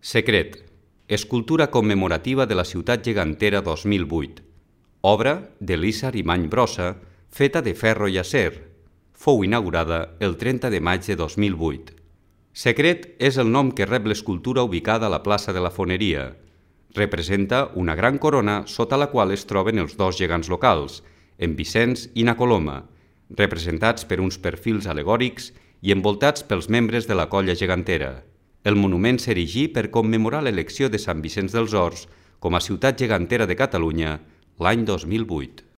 Secret, escultura commemorativa de la ciutat gegantera 2008, obra d'Elisa Arimany Brossa, feta de ferro i acer. Fou inaugurada el 30 de maig de 2008. Secret és el nom que rep l'escultura ubicada a la plaça de la Foneria. Representa una gran corona sota la qual es troben els dos gegants locals, en Vicenç i na Coloma, representats per uns perfils alegòrics i envoltats pels membres de la colla gegantera. El monument s'erigí per commemorar l'elecció de Sant Vicenç dels Horts com a ciutat gegantera de Catalunya l'any 2008.